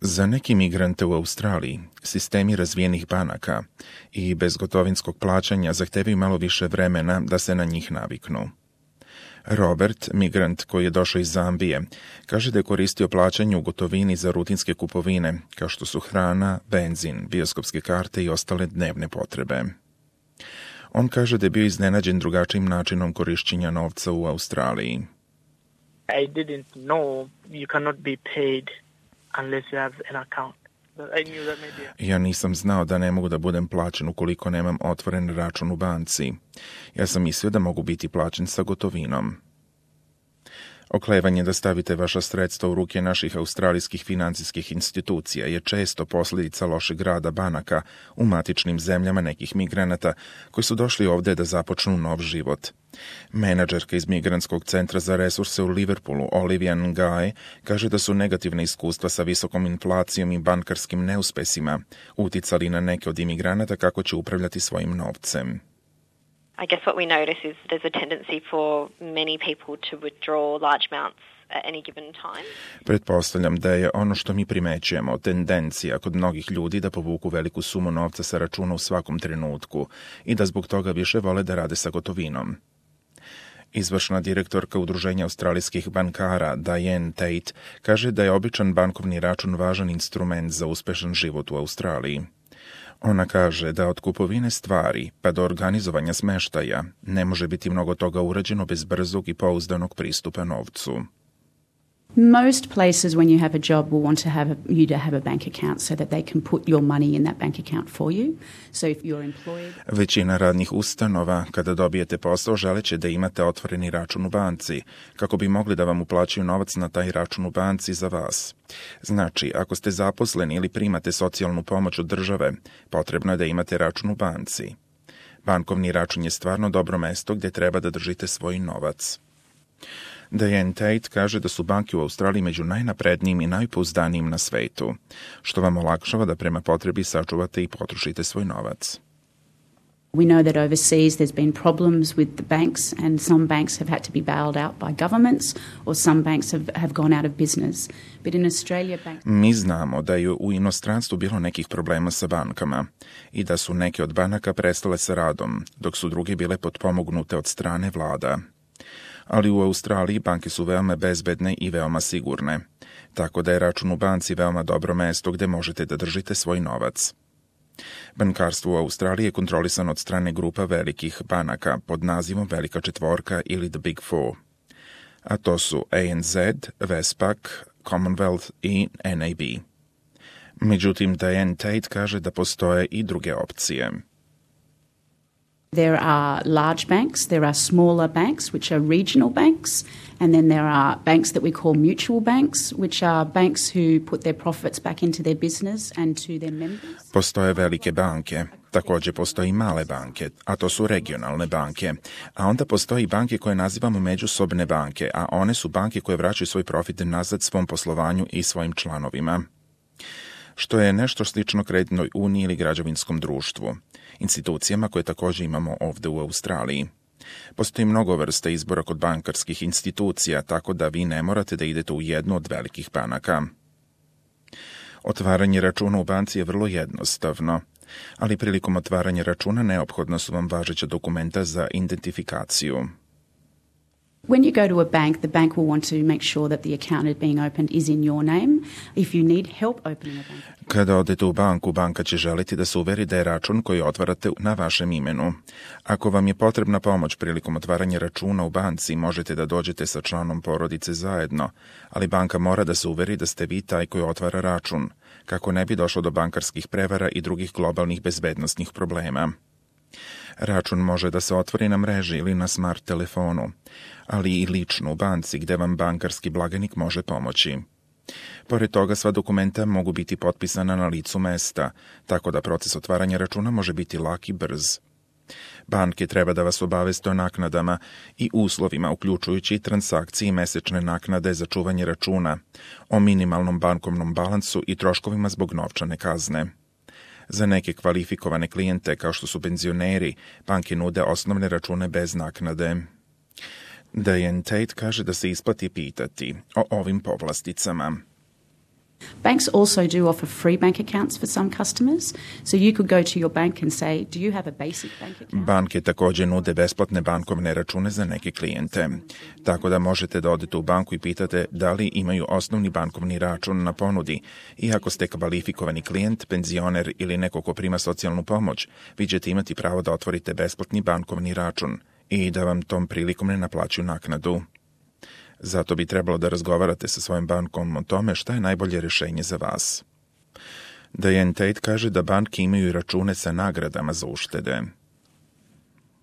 Za neki migrante u Australiji, sistemi razvijenih banaka i bezgotovinskog plaćanja zahtevaju malo više vremena da se na njih naviknu. Robert, migrant koji je došao iz Zambije, kaže da je koristio plaćanje u gotovini za rutinske kupovine, kao što su hrana, benzin, bioskopske karte i ostale dnevne potrebe. On kaže da je bio iznenađen drugačijim načinom korišćenja novca u Australiji. I didn't know you cannot be paid unless you have an account. Ja nisam znao da ne mogu da budem plaćen ukoliko nemam otvoren račun u banci. Ja sam mislio da mogu biti plaćen sa gotovinom. Oklevanje da stavite vaša sredstva u ruke naših australijskih financijskih institucija je često posljedica lošeg rada banaka u matičnim zemljama nekih migranata koji su došli ovdje da započnu nov život. Menadžerka iz Migrantskog centra za resurse u Liverpoolu, Olivia Nguy, kaže da su negativne iskustva sa visokom inflacijom i bankarskim neuspesima uticali na neke od imigranata kako će upravljati svojim novcem. I guess what we notice is there's a tendency for many people to withdraw large amounts at any given time. Pretpostavljam da je ono što mi primećujemo tendencija kod mnogih ljudi da povuku veliku sumu novca sa računa u svakom trenutku i da zbog toga više vole da rade sa gotovinom. Izvršna direktorka Udruženja australijskih bankara Diane Tate kaže da je običan bankovni račun važan instrument za uspešan život u Australiji. Ona kaže da od kupovine stvari pa do organizovanja smeštaja ne može biti mnogo toga urađeno bez brzog i pouzdanog pristupa novcu. Most places when you have a job will want to have you to have a bank account so that they can put your money in that bank account for you. So if you're employed... Većina radnih ustanova, kada dobijete posao, želeće da imate otvoreni račun u banci, kako bi mogli da vam uplaćuju novac na taj račun u banci za vas. Znači, ako ste zaposleni ili primate socijalnu pomoć od države, potrebno je da imate račun u banci. Bankovni račun je stvarno dobro mesto gdje treba da držite svoj novac. Diane Tate kaže da su banke u Australiji među najnaprednijim i najpouzdanijim na svetu, što vam olakšava da prema potrebi sačuvate i potrošite svoj novac. We know that overseas there's been problems with the banks and some banks have had to be bailed out by governments or some banks have gone out of business. But in Australia banks... Mi znamo da je u inostranstvu bilo nekih problema sa bankama i da su neke od banaka prestale sa radom, dok su druge bile potpomognute od strane vlada. Ali u Australiji banke su veoma bezbedne i veoma sigurne, tako da je račun u banci veoma dobro mesto gdje možete da držite svoj novac. Bankarstvo u Australiji je kontrolisano od strane grupa velikih banaka pod nazivom Velika četvorka ili The Big Four, a to su ANZ, Westpac, Commonwealth i NAB. Međutim, Diane Tate kaže da postoje i druge opcije. There are large banks, there are smaller banks, which are regional banks, and then there are banks that we call mutual banks, which are banks who put their profits back into their business and to their members. Postoje velike banke, također postoje i male banke, a to su regionalne banke. A onda postoje i banke koje nazivamo međusobne banke, a one su banke koje vraćaju svoj profit nazad svom poslovanju i svojim članovima. Što je nešto slično kreditnoj uniji ili građevinskom društvu, institucijama koje također imamo ovdje u Australiji. Postoji mnogo vrsta izbora kod bankarskih institucija, tako da vi ne morate da idete u jednu od velikih banaka. Otvaranje računa u banci je vrlo jednostavno, ali prilikom otvaranja računa neophodno su vam važeća dokumenta za identifikaciju. When you go to a bank, the bank will want to make sure that the account being opened is in your name. If you need help opening a bank account. Kada odete u banku, banka će želiti da se uveri da je račun koji otvarate na vašem imenu. Ako vam je potrebna pomoć prilikom otvaranja računa u banci, možete da dođete sa članom porodice zajedno, ali banka mora da se uveri da ste vi taj koji otvara račun, kako ne bi došlo do bankarskih prevara i drugih globalnih bezbednosnih problema. Račun može da se otvori na mreži ili na smart telefonu, ali i lično u banci gdje vam bankarski blagajnik može pomoći. Pored toga, sva dokumenta mogu biti potpisana na licu mesta, tako da proces otvaranja računa može biti lak i brz. Banke treba da vas obaveste o naknadama i uslovima, uključujući transakcije i mesečne naknade za čuvanje računa, o minimalnom bankovnom balansu i troškovima zbog novčane kazne. Za neke kvalifikovane klijente, kao što su penzioneri, banke nude osnovne račune bez naknade. Diane Tate kaže da se isplati pitati o ovim povlasticama. Banks also do offer free bank accounts for some customers. So you could go to your bank and say, do you have a basic bank account? Banke također nude besplatne bankovne račune za neke klijente. Tako da možete da odete u banku i pitate da li imaju osnovni bankovni račun na ponudi. I ako ste kvalifikovani klijent, penzioner ili neko ko prima socijalnu pomoć, vi ćete imati pravo da otvorite besplatni bankovni račun i da vam tom prilikom ne naplaćuju naknadu. Zato bi trebalo da razgovarate sa svojim bankom o tome šta je najbolje rješenje za vas. Diane Tate kaže da banke imaju i račune sa nagradama za uštede.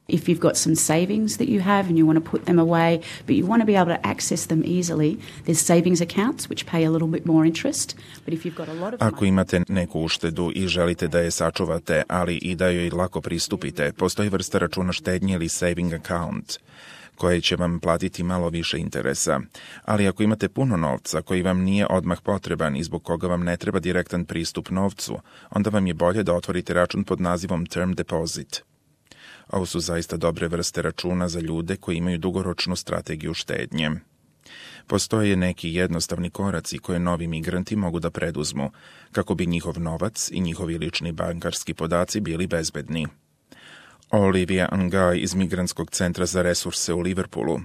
If you've got some savings that you have and you want to put them away, but you want to be able to access them easily, there's savings accounts which pay a little bit more interest. But if you've got a lot of Ako imate neku uštedu i želite da je sačuvate, ali i da joj lako pristupite, postoji vrsta računa štednje ili saving account, koje će vam platiti malo više interesa. Ali ako imate puno novca koji vam nije odmah potreban i zbog koga vam ne treba direktan pristup novcu, onda vam je bolje da otvorite račun pod nazivom Term Deposit. Ovo su zaista dobre vrste računa za ljude koji imaju dugoročnu strategiju štednje. Postoje neki jednostavni koraci koje novi migranti mogu da preduzmu, kako bi njihov novac i njihovi lični bankarski podaci bili bezbedni. Olivia Ngaj iz Migrantskog centra za resurse u Liverpoolu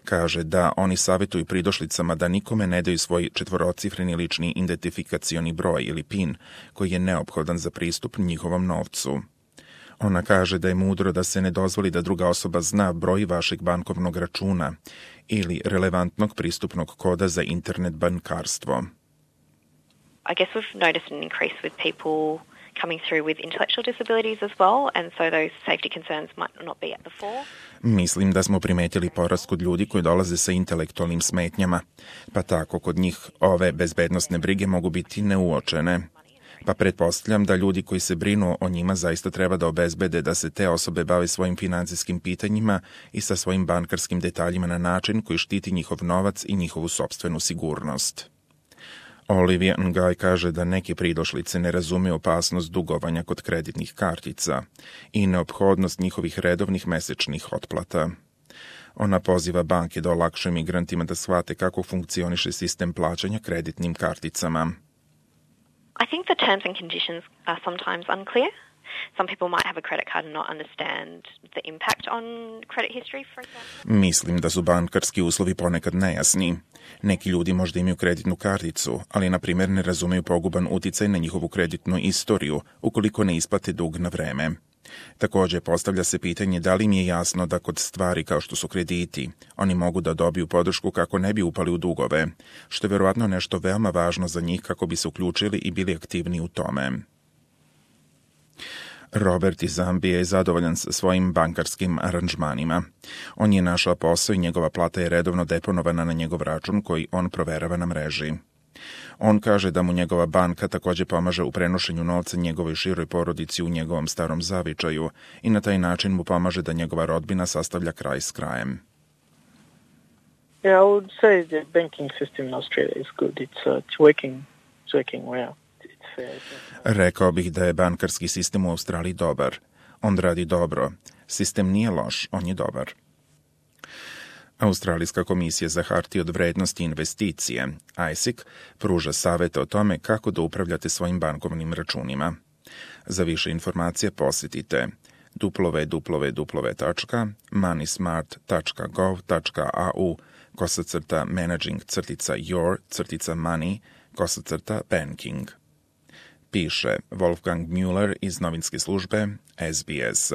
kaže da oni savjetuju pridošlicama da nikome ne daju svoj četvorocifreni lični identifikacioni broj ili PIN koji je neophodan za pristup njihovom novcu. Ona kaže da je mudro da se ne dozvoli da druga osoba zna broj vašeg bankovnog računa ili relevantnog pristupnog koda za internet bankarstvo. I guess we've noticed an increase with people coming through with intellectual disabilities as well, and so those safety concerns might not be at the fore. Mislim da smo primetili porast kod ljudi koji dolaze sa intelektualnim smetnjama, pa tako kod njih ove bezbednosne brige mogu biti neuočene. Pa pretpostavljam da ljudi koji se brinu o njima zaista treba da obezbede da se te osobe bave svojim financijskim pitanjima i sa svojim bankarskim detaljima na način koji štiti njihov novac i njihovu sopstvenu sigurnost. Olivia Ngaj kaže da neki pridošlice ne razumeju opasnost dugovanja kod kreditnih kartica i neophodnost njihovih redovnih mesečnih otplata. Ona poziva banke da olakšaju migrantima da shvate kako funkcioniše sistem plaćanja kreditnim karticama. I think the terms and conditions are sometimes unclear. Some people might have a credit card and not understand the impact on credit history, for example. Mislim da su bankarski uslovi ponekad nejasni. Neki ljudi možda imaju kreditnu karticu, ali na primjer ne razumeju poguban uticaj na njihovu kreditnu istoriju ukoliko ne isplate dug na vreme. Također postavlja se pitanje da li im je jasno da kod stvari kao što su krediti, oni mogu da dobiju podršku kako ne bi upali u dugove, što je vjerovatno nešto veoma važno za njih kako bi se uključili i bili aktivni u tome. Robert iz Zambije je zadovoljan sa svojim bankarskim aranžmanima. On je našao posao i njegova plata je redovno deponovana na njegov račun koji on proverava na mreži. On kaže da mu njegova banka također pomaže u prenošenju novca njegovoj široj porodici u njegovom starom zavičaju i na taj način mu pomaže da njegova rodbina sastavlja kraj s krajem. Yeah, I would say the banking system in Australia is good. It's working well. It's fair. Rekao bih da je bankarski sistem u Australiji dobar. On radi dobro. Sistem nije loš, on je dobar. Australijska komisija za hartije od vrednosti i investicije, ASIC, pruža savjete o tome kako da upravljate svojim bankovnim računima. Za više informacije posjetite www.moneysmart.gov.au/managing-your-money-banking. Piše Wolfgang Müller iz novinske službe SBS.